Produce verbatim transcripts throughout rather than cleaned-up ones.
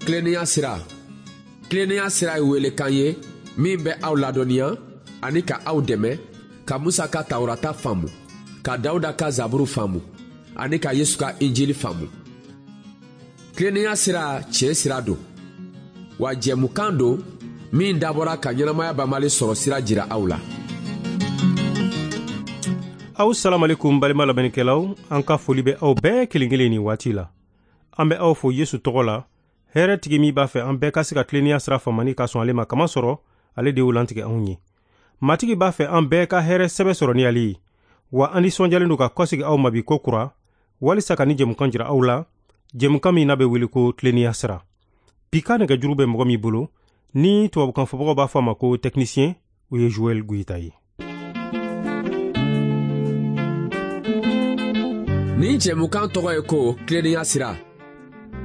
Tilennenya sira. Tilennenya sira ye welekan ye min bɛ aw ladɔnniya ani ka aw dɛmɛ ka Musa ka Tawurata faamu, ka Dawuda ka Zaburu faamu ani ka Yesu ka Injili faamu. Tilennenya sira tiɲɛ sira don, wa jɛmukan don min dabɔra ka ɲɛnamaya banbali sɔrɔ sira jira aw la. Aw salamalekum balima lamɛnnikɛlaw, an ka foli bɛ aw bɛɛ kelen kelen nin waati la. An bɛ aw fo Yesu tɔgɔ la, hɛrɛ tigi min b'a fɛ an bɛɛ ka se ka tilennenya sira faamani ka sɔn ale ma, kamasɔrɔ ale de y'o lantigɛ anw ye. Matigi b'a fɛ an bɛɛ ka hɛrɛ sɛbɛ sɔrɔ ni ale ye, wa an nisɔndiyalen don ka kɔsegi aw ma bi ko kura, walisa ka ni jɛmukan jira aw la, jɛmukan min n'a bɛ wele ko tilennenya sira. Bi ka nɛgɛjuru bɛ mɔgɔ min bolo, ni tubabukan fɔbagaw b'a fɔ a ma ko technicien, o ye Joël Goyita ye. Nin jɛmukan tɔgɔ ye ko tilennenya sira.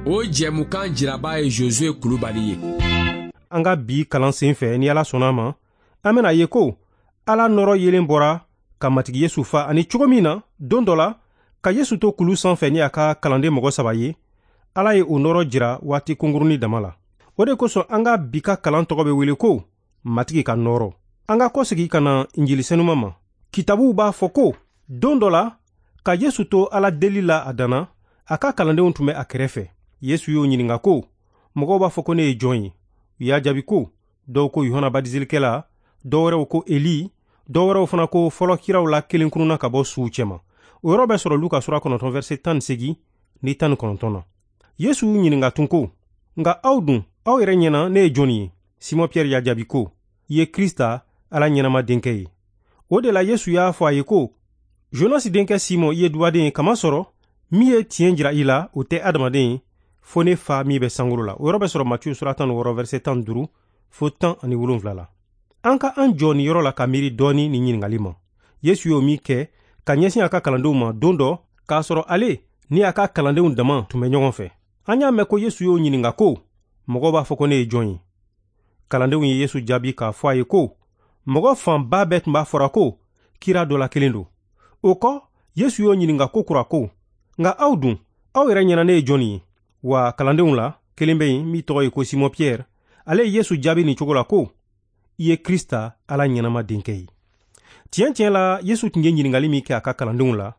O jɛmukan jiraba ye Josué Kulubali ye. An ka bi kalan sen fɛ, ni Ala sɔnna a ma, an bɛna ye ko Ala nɔrɔ yelen bɔra ka Matigi Yesu fa, ani cogo min na don dɔ la ka Yesu to kulu sanfɛ ni a ka kalanden mɔgɔ saba ye, Ala ye o nɔrɔ jira waati kunkurunin dama la. O de kosɔn an ka bi ka kalan tɔgɔ bɛ wele ko Matigi ka nɔrɔ. An ka kɔsegi ka na Injili senuma ma. Kitabuw b'a fɔ ko don dɔ la ka Yesu to Ala deli la a danna, a ka kalandenw tun bɛ a kɛrɛfɛ. Yesu y'o ɲininka ko, mɔgɔw b'a fɔ ko ne ye jɔn ye? U y'a jaabi ko, dɔw ko Yohana Batiselikɛla, dɔw wɛrɛw ko Eli, dɔw wɛrɛw fana ko fɔlɔ kiraw la kelen kununna ka bɔ suw cɛma. O yɔrɔ bɛ sɔrɔ Luka sura kɔnɔntɔn verset tan ni seegin ni tan ni kɔnɔntɔn na. Yesu y'u ɲininka tun ko, nka aw dun, aw yɛrɛ ɲɛna ne ye jɔn ye? Simɔn Pierre y'a jaabi ko, i ye Krista, Ala ɲɛnama denkɛ ye. O de la Yesu y'a fɔ a ye ko, Jonasi denkɛ Simɔn, i ye dubaden ye, kamasɔrɔ min ye tiɲɛ jira i la, o tɛ adamaden ye, fo ne fa min bɛ sankolo la. O yɔrɔ bɛ sɔrɔ Matiyu sura tan ni wɔɔrɔ verset tan ni duuru fo tan ani wolonwula la. An ka an jɔ nin yɔrɔ la ka miiri dɔɔni nin ɲininkali ma. Yesu y'o min kɛ ka ɲɛsin a ka kalandenw ma don dɔ, k'a sɔrɔ ale ni a ka kalandenw dama tun bɛ ɲɔgɔn fɛ. An y'a mɛn ko Yesu y'o ɲininka ko, mɔgɔw b'a fɔ ko ne ye jɔn ye? Kalandenw ye Yesu jaabi k'a fɔ a ye ko, mɔgɔ fanba bɛɛ tun b'a fɔra ko kira dɔ la kelen don. O kɔ, Yesu y'o ɲininka ko kura ko, nka aw dun, aw yɛrɛ ɲɛna ne ye jɔn ye? Wa kalandenw la kelen bɛ yen min tɔgɔ ye ko Simɔn Pierre, ale ye Yesu jaabi nin cogo la ko, i ye Krista, Ala ɲɛnama denkɛ ye. Tiɲɛ tiɲɛ la, Yesu tun ye ɲininkali min kɛ a ka kalandenw la,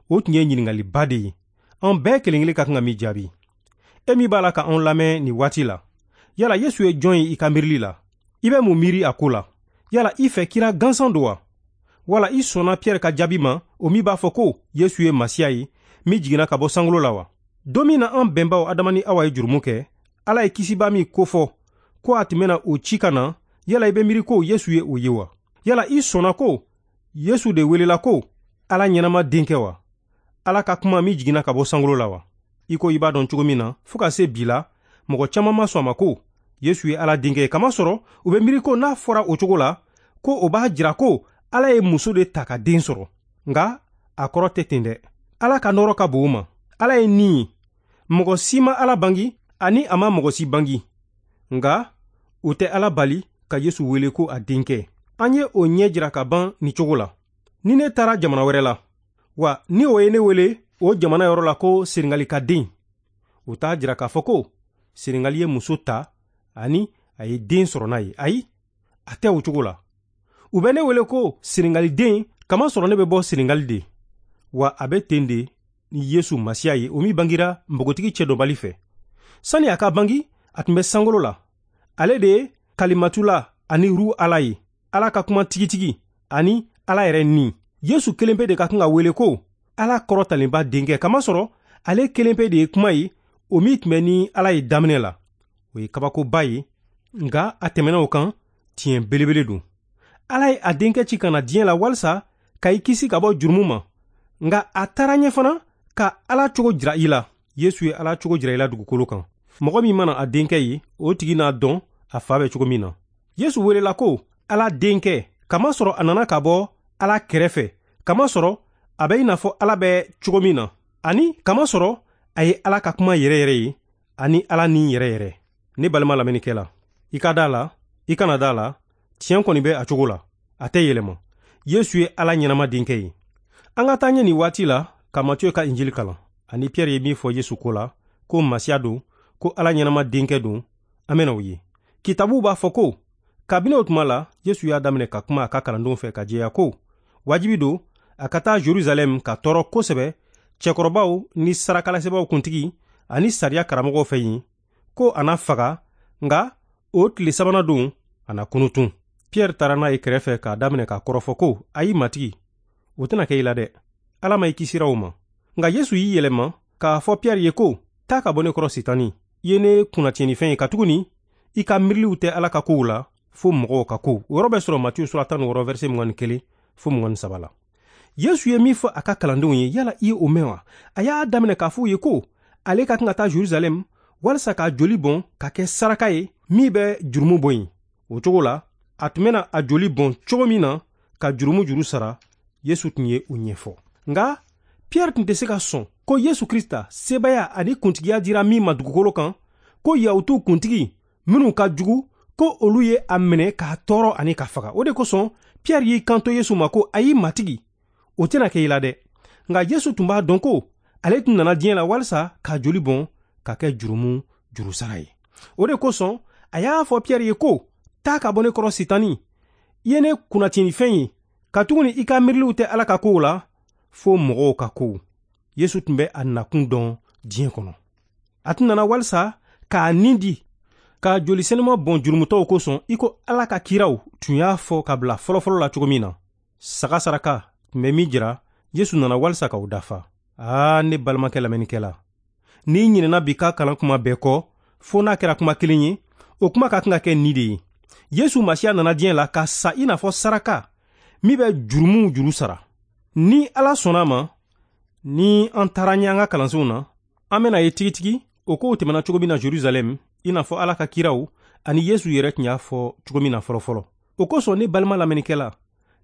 o tun ye ɲininkaliba de ye, an bɛɛ kelen kelen ka kan ka min jaabi. E min b'a la ka anw lamɛn nin waati la, yala Yesu ye jɔn ye i ka miirili la? I bɛ mun miiri a ko la? Yala i fɛ kira gansan don wa? Wala i sɔnna Pierre ka jaabi ma, o min b'a fɔ ko Yesu ye Masiya ye min jiginna ka bɔ sankolo la wa? Don min na an bɛnbaw Adama ni Awa ye jurumu kɛ, Ala ye kisiba min kofɔ ko a tun bɛna o ci ka na, yala i bɛ miiri ko Yesu ye o ye wa? Yala i sɔnna ko Yesu de welela ko Ala ɲɛnama denkɛ wa? Ala ka kuma min jiginna ka bɔ sankolo la wa? I ko i b'a dɔn cogo min na, fo ka se bi la, mɔgɔ caman ma sɔn a ma ko Yesu ye Ala denkɛ ye, kamasɔrɔ u bɛ miiri ko n'a fɔra o cogo la, ko o b'a jira ko Ala ye muso de ta ka den sɔrɔ. Nka a kɔrɔ tɛ ten dɛ. Ala ka nɔrɔ ka bon o ma. Ala ye ni ye. Mɔgɔ si ma Ala bangi, ani a ma mɔgɔ si bangi. Nka o tɛ Ala bali ka Yesu wele ko a denkɛ. An ye o ɲɛ jira ka ban nin cogo la. Ni ne taara jamana wɛrɛ la, wa ni o ye ne wele o jamana yɔrɔ la ko Senegali ka den, o t'a jira k'a fɔ ko Senegali ye muso ta ani a ye den sɔrɔ n'a ye. Ayi, a tɛ o cogo la. U bɛ ne wele ko Senegali den, kamasɔrɔ ne bɛ bɔ Senegali de. Wa a bɛ ten de ni Yesu Masiya ye, o min bangira npogotigi cɛ dɔnbali fɛ. Sani a ka bangi, a tun bɛ sankolo la. Ale de ye Kalimatula ani Ru Ala ye, Ala ka kuma tigitigi ani Ala yɛrɛ ni. Yesu kelen pe de ka kan ka wele ko Ala kɔrɔtalenba denkɛ, kamasɔrɔ ale kelen pe de ye kuma ye, o min tun bɛ ni Ala ye daminɛ la. O ye kabakoba ye, nka a tɛmɛna o kan, tiɲɛ belebele don. Ala ye a denkɛ ci ka na diɲɛ la walisa ka i kisi ka bɔ jurumu ma, nka a taara ɲɛ fana ka Ala cogo jira i la. Yesu ye Ala cogo jira i la dugukolo kan. Mɔgɔ min mana a denkɛ ye, o tigi n'a dɔn a fa bɛ cogo min na. Yesu welela ko Ala denkɛ, kamasɔrɔ a nana ka bɔ Ala kɛrɛfɛ, kamasɔrɔ a bɛ i n'a fɔ Ala bɛ cogo min na, ani kamasɔrɔ a ye Ala ka kuma yɛrɛ yɛrɛ ye, ani Ala ni yɛrɛ yɛrɛ. Ne balima lamɛnnikɛla, i ka da la, i kana da la, tiɲɛ kɔni bɛ a cogo la, a tɛ yɛlɛma. Yesu ye Ala ɲɛnama denkɛ ye. An ka taa ɲɛ nin waati la ka Matiyu ka Injili kalan, ani Pierre ye min fɔ Yesu ko la, ko Masiya don, ko Ala ɲɛnama denkɛ don, an bɛna o ye. Kitabuw b'a fɔ ko kabini o tuma la, Yesu y'a daminɛ ka kuma a ka kalandenw fɛ ka jɛya ko wajibi don a ka taa Jerusalɛm ka tɔɔrɔ kosɛbɛ cɛkɔrɔbaw ni sarakalasebaaw kuntigi ani sariya karamɔgɔw fɛ yen, ko a na faga, nka o tile sabanan don a na kunutun. Pierre taara n'a ye kɛrɛfɛ k'a daminɛ k'a kɔrɔfɔ ko ayi Matigi, o tɛna kɛ i la dɛ, Ala ma i kisira o ma. Nka Yesu y'i yɛlɛma k'a fɔ Pierre ye ko taa ka bɔ ne kɔrɔ Sitani, i ye ne kunnatiɲɛnifɛn ye, katuguni i ka miiriliw tɛ Ala ka kow la fo mɔgɔw ka kow. O yɔrɔ bɛ sɔrɔ Matiyu sura tan ni wɔɔrɔ verset mugan ni kelen fo mugan ni saba la. Yesu ye min fɔ a ka kalandenw ye, yala i ye o mɛn wa? A y'a daminɛ k'a fɔ u ye ko ale ka kan ka taa Jerusalɛm walisa k'a joli bɔn ka kɛ saraka ye min bɛ jurumu bɔ yen. O cogo la, a tun bɛna a joli bɔn cogo min na ka jurumu juru sara, Yesu tun ye o ɲɛfɔ. Nka Pierre tun tɛ se ka sɔn ko Yesu Krista sebaaya ani kuntigiya dira min ma dugukolo kan, ko Yahutuw kuntigi minnu ka jugu, ko olu ye a minɛ k'a tɔɔrɔ ani k'a faga. O de kosɔn Pierre y'i kanto Yesu ma ko ayi Matigi, o tɛna kɛ i la dɛ. Nka Yesu tun b'a dɔn ko ale tun nana diɲɛ la walisa k'a joli bɔn ka kɛ jurumu jurusara ye. O de kosɔn a y'a fɔ Pierre ye ko taa ka bɔ ne kɔrɔ Sitani, i ye ne kunnatiɲɛnifɛn ye, katuguni i ka miiriliw tɛ Ala ka kow la fo mɔgɔw ka kow. Yesu tun bɛ a nakun dɔn diɲɛ kɔnɔ. A tun nana walisa k'a nin di ka joli senuma bɔn jurumutɔw kosɔn, i ko Ala ka kiraw tun y'a fɔ ka bila fɔlɔfɔlɔ la cogo min na. Saga saraka tun bɛ min jira, Yesu nana walisa k'o dafa. Aa ne balimakɛ lamɛnnikɛla, n'i ɲinɛna bi ka kalan kuma bɛɛ kɔ, fo n'a kɛra kuma kelen ye, o kuma ka kan ka kɛ nin de ye. Yesu Masiya nana diɲɛ la ka sa i n'a fɔ saraka min bɛ jurumuw juru sara. Ni Ala sɔnna a ma, ni an taara ɲɛ an ka kalansenw na, an bɛna ye tigitigi o kow tɛmɛna cogo min na Jerusalɛm, i n'a fɔ Ala ka kiraw ani Yesu yɛrɛ tun y'a fɔ cogo min na fɔlɔfɔlɔ. O kosɔn ne balima lamɛnnikɛla,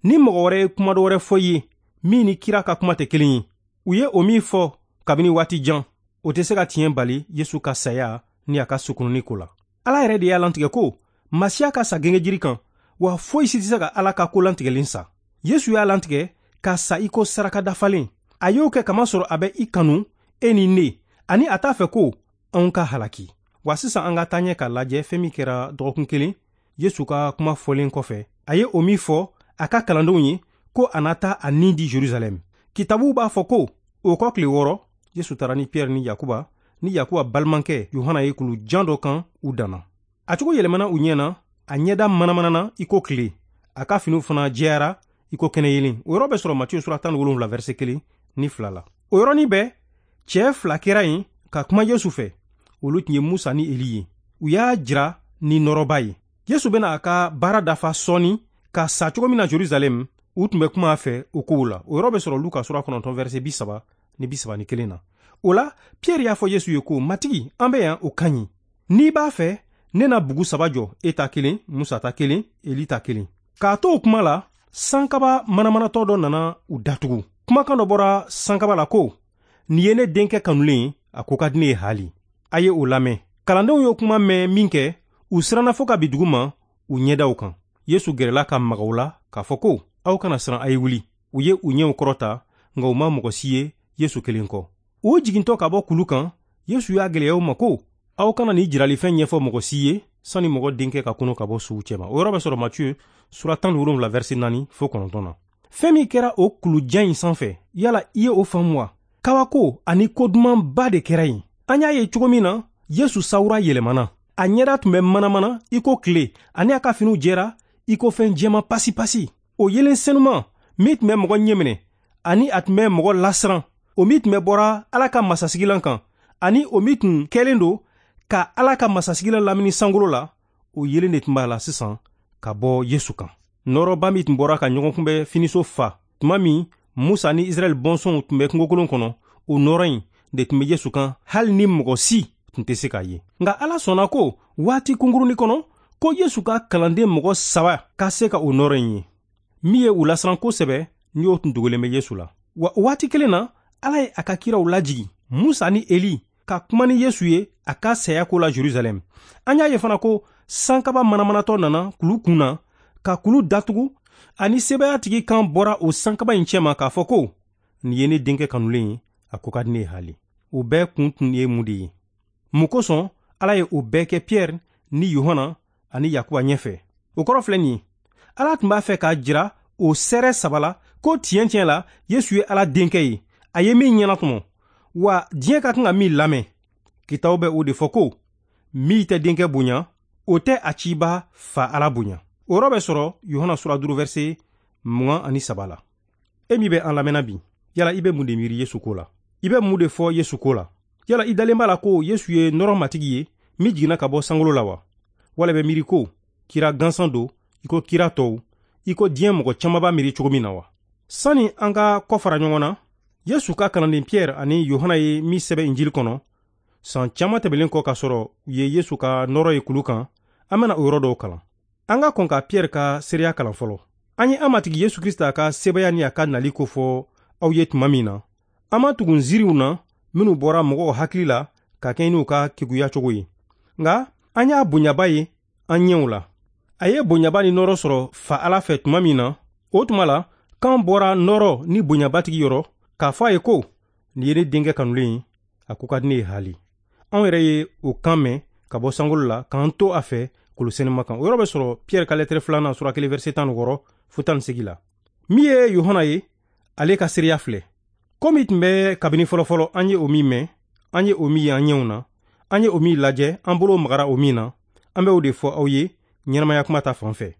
ni mɔgɔ wɛrɛ ye kuma dɔ wɛrɛ fɔ i ye min ni kira ka kuma tɛ kelen ye, u ye o min fɔ kabini waati jan, o tɛ se ka tiɲɛ bali Yesu ka saya ni a ka sukununi ko la. Ala yɛrɛ de y'a lantigɛ ko Masiya ka sa gengejiri kan, wa foyi si tɛ se ka Ala ka ko lantigɛlen sa. Yesu y'a lantigɛ ka sa i ko saraka dafalen. A y'o kɛ kamasɔrɔ a bɛ i kanu, e ni ne, ani a t'a fɛ ko anw ka halaki. Wa sisan an ka taa ɲɛ k'a lajɛ fɛn min kɛra dɔgɔkun kelen Yesu ka kuma fɔlen kɔfɛ. A ye o min fɔ a ka kalandenw ye ko a na taa a nin di Jerusalɛm. Kitabuw b'a fɔ ko o kɔ tile wɔɔrɔ, Yesu taara ni Pierre ni Yakuba ni Yakuba balimakɛ Yohana ye kulu jan dɔ kan u danna. A cogo yɛlɛmana u ɲɛ na, a ɲɛda manamanana i ko tile, a ka finiw fana jɛyara i ko kɛnɛyelen. O yɔrɔ bɛ sɔrɔ Matiyu sura tan ni wolonwula verset kelen ni fila la. O yɔrɔnin bɛɛ, cɛɛ fila kɛra yen ka kuma Yesu fɛ. Olu tun ye Musa ni Eli ye. U y'a jira ni nɔrɔba ye. Yesu bɛna a ka baara dafa sɔɔni ka sa cogo min na Jerusalɛm, u tun bɛ kuma a fɛ o kow la. O yɔrɔ bɛ sɔrɔ Luka sura kɔnɔntɔn verset bi saba ni bi saba ni kelen na. O la, Pierre y'a fɔ Yesu ye ko Matigi, an bɛ yan, o ka ɲi. N'i b'a fɛ, ne na bugu saba jɔ, e ta kelen, Musa ta kelen, Eli ta kelen. K'a to o kuma la, sankaba manamanatɔ dɔ nana u datugu. Kumakan dɔ bɔra sankaba la ko nin ye ne denkɛ kanulen ye, a ko ka di ne ye hali. A ye o lamɛn. Kalandenw y'o kuma mɛn min kɛ, u siranna fo ka bi dugu ma u ɲɛdaw kan. Yesu gɛrɛla ka maga u la k'a fɔ ko aw kana siran, a ye wuli. U ye u ɲɛw kɔrɔta, nka u ma mɔgɔ si ye Yesu kelen kɔ. U jigintɔ ka bɔ kulu kan, Yesu y'a gɛlɛya u ma ko aw kana nin jiralifɛn ɲɛfɔ mɔgɔ si ye sani mɔgɔ denkɛ ka kɔnɔ ka bɔ suw cɛma. O yɔrɔ bɛ sɔrɔ Matiyu sura tan ni wolonwula verset naani fo kɔnɔntɔn na. Fɛn min kɛra o kulujan in sanfɛ, yala i ye o faamu wa? Kabako ani ko dumanba de kɛra yen. An y'a ye cogo min na, Yesu sawura yɛlɛmana. A ɲɛda tun bɛ manamana i ko tile, ani a ka finiw jɛra i ko fɛn jɛman pasipasi. O yelen senuman min tun bɛ mɔgɔ ɲɛminɛ ani a tun bɛ mɔgɔ lasiran, o min tun bɛ bɔra Ala ka masasigilan kan, ani o min tun kɛlen don ka Ala ka masasigilan lamini sankolo la, o yelen de tun b'a la sisan ka bɔ Yesu kan. Nɔrɔba min tun bɔra ka ɲɔgɔn kunbɛ finiso fa tuma min Musa ni Israɛl bɔnsɔnw tun bɛ kungokolon kɔnɔ, o nɔrɔ in de tun bɛ Yesu kan, hali ni mɔgɔ si tun tɛ se k'a ye. Nka Ala sɔnna ko waati kunkurunin kɔnɔ, ko Yesu ka kalanden mɔgɔ saba ka se ka o nɔrɔ in ye, min ye u lasiran kosɛbɛ ni o tun dogolen bɛ Yesu la. Wa waati kelen na, Ala ye a ka kiraw lajigi, Musa ni Eli, ka kuma ni Yesu ye a ka saya ko la Jerusalɛm. An y'a ye fana ko sankaba manamanatɔ nana kulu kun na ka kulu datugu, ani sebaayatigi kan bɔra o sankaba in cɛma k'a fɔ ko nin ye ne denkɛ kanulen ye, a ko ka di ne ye hali. O bɛɛ kun tun ye mun de ye? Mun kosɔn Ala ye o bɛɛ kɛ Piyɛri ni Yohana ani Yakuba ɲɛfɛ. O kɔrɔ filɛ nin ye, Ala tun b'a fɛ k'a jira o sɛrɛ saba la ko tiɲɛ tiɲɛ la Yesu ye Ala denkɛ ye, a ye min ɲɛnatɔmɔ, wa diɲɛ ka kan ka min lamɛn. Kitabu bɛ o de fɔ ko min tɛ denkɛ bonya, o tɛ a ciba fa Ala bonya. O yɔrɔ bɛ sɔrɔ Yohana sura duuru verset mugan ani saba la. E min bɛ an lamɛnna bi, yala i bɛ mun de miiri Yesu ko la? I bɛ mun de fɔ Yesu ko la? Yala i dalen b'a la ko Yesu ye nɔrɔ matigi ye min jiginna ka bɔ sankolo la wa? Wala i bɛ miiri ko kira gansan don i ko kira tɔw, i ko diɲɛ mɔgɔ caman b'a miiri cogo min na wa? Sani an ka kɔ fara ɲɔgɔn na, Yesu ka kalanden Piyɛri ani Yohana ye min sɛbɛn Injili kɔnɔ, san caman tɛmɛlen kɔ k'a sɔrɔ u ye Yesu ka nɔrɔ ye kulu kan, an bɛna o yɔrɔ dɔw kalan. An ka kɔn ka Piyɛri ka seereya kalan fɔlɔ. An ye an matigi Yesu Krista ka sebaaya ni a ka nali kofɔ aw ye tuma min na, an ma tugu nziriw na minnu bɔra mɔgɔw hakili la ka kɛɲɛ n'u ka keguya cogo ye. Nka an y'a bonyaba ye an ɲɛw la. A ye bonyaba ni nɔrɔ sɔrɔ fa Ala fɛ tuma min na, o tuma la kan bɔra nɔrɔ ni bonyabatigi yɔrɔ k'a fɔ a ye ko nin ye ne denkɛ kanulen ye, a ko ka di ne ye haali. Anw yɛrɛ ye o kan mɛn ka bɔ sankolo la k'an to a fɛ kolosenima kan. O yɔrɔ bɛ sɔrɔ Piyɛri ka lɛtɛrɛ filanan sura kelen verset tan ni wɔɔrɔ fo tan ni seegin la. Min ye Yohana ye, ale ka seereya filɛ. Ko min tun bɛ kabini fɔlɔfɔlɔ, an ye o min mɛn, an ye o min ye an ɲɛw na, an ye o min lajɛ, an bolo magara o min na, an bɛ o de fɔ aw ye ɲɛnamaya kuma ta fan fɛ.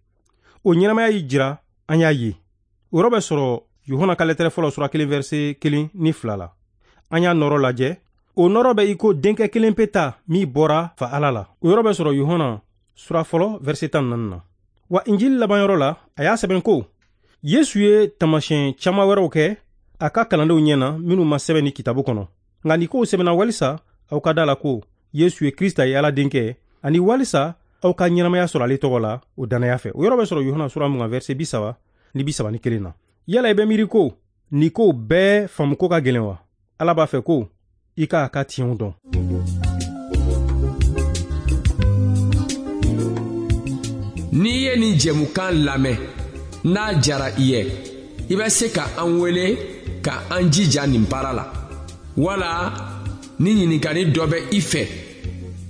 O ɲɛnamaya y'i jira, an y'a ye. O yɔrɔ bɛ sɔrɔ Yohana ka lɛtɛrɛ fɔlɔ sura kelen verset kelen ni fila la. An y'a nɔrɔ lajɛ. O nɔrɔ bɛ i ko denkɛ kelen pe ta min bɔra fa Ala la. O yɔrɔ bɛ sɔrɔ Yohana sura fɔlɔ verset tan ni naani na. Wa Injili labanyɔrɔ la, a y'a sɛbɛn ko Yesu ye taamasiyɛn caman wɛrɛw kɛ a ka kalandenw ɲɛ na minnu ma sɛbɛn ni kitabu kɔnɔ. Nka nin kow sɛbɛnna walisa aw ka da la ko Yesu ye Krista ye Ala denkɛ, ani walisa aw ka ɲɛnamaya sɔrɔ ale tɔgɔ la o dannaya fɛ. O yɔrɔ bɛ sɔrɔ Yohana sura mugan verset bi saba ni bi saba ni kelen na. Yala i bɛ miiri ko nin kow bɛɛ faamuko ka gɛlɛn wa? Ala b'a fɛ ko i k'a ka tiɲɛw dɔn. N'i ye nin jɛmukan lamɛn, n'a jara i ye, i bɛ se ka an wele ka an jija nin baara la. Wala ni ɲininkali dɔ bɛ i fɛ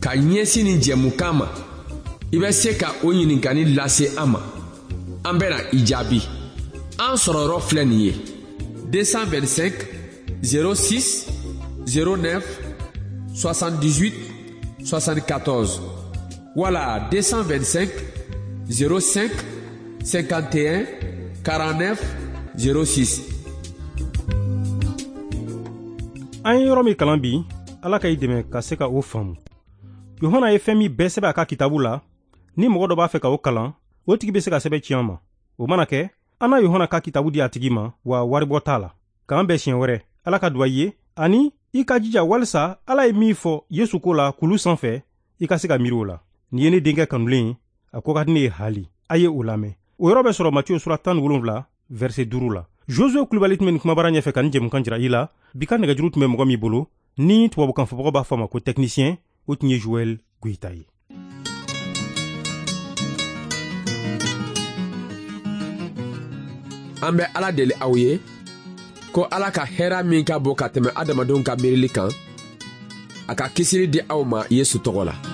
ka ɲɛsin nin jɛmukan ma, i bɛ se ka o ɲininkali lase an ma. An bɛna i jaabi. An sɔrɔyɔrɔ filɛ nin ye: deux cent vingt-cinq zéro six zéro neuf soixante-dix-huit soixante-quatorze wala deux cent vingt-cinq zéro cinq cinquante et un quarante-neuf zéro six. An ye yɔrɔ min kalan bi, Ala ka i dɛmɛ ka se ka o faamu. Yohana ye fɛn min bɛɛ sɛbɛn a ka kitabu la, ni mɔgɔ dɔ b'a fɛ ka o kalan, o tigi bɛ se ka sɛbɛn ci an ma. O mana kɛ, an na Yohana ka kitabu di a tigi ma, wa waribɔ t'a la. K'an bɛn siɲɛ wɛrɛ. Ala ka duwa i ye, ani i ka jija walisa Ala ye min fɔ Yesu ko la kulu sanfɛ, i ka se ka miiri o la. Nin ye ne denkɛ kanulen ye, a ko ka di ne ye haali. A ye o lamɛn. O yɔrɔ bɛ sɔrɔ Matiyo sura tan ni wolonwula verset duuru la. Josue Kulibali tun bɛ nin kumabara ɲɛfɛ ka nin jɛmukan jira i la. Bi ka nɛgɛjuru tun bɛ mɔgɔ min bolo, ni tubabukan fɔbagaw b'a fɔ a ma ko technicien, o tun ye Joël Goyita ye. An bɛ Ala deli aw ye ko Ala ka hɛrɛ min ka bon ka tɛmɛ adamadenw ka miirili kan, a ka kisili di aw ma Yesu tɔgɔ la.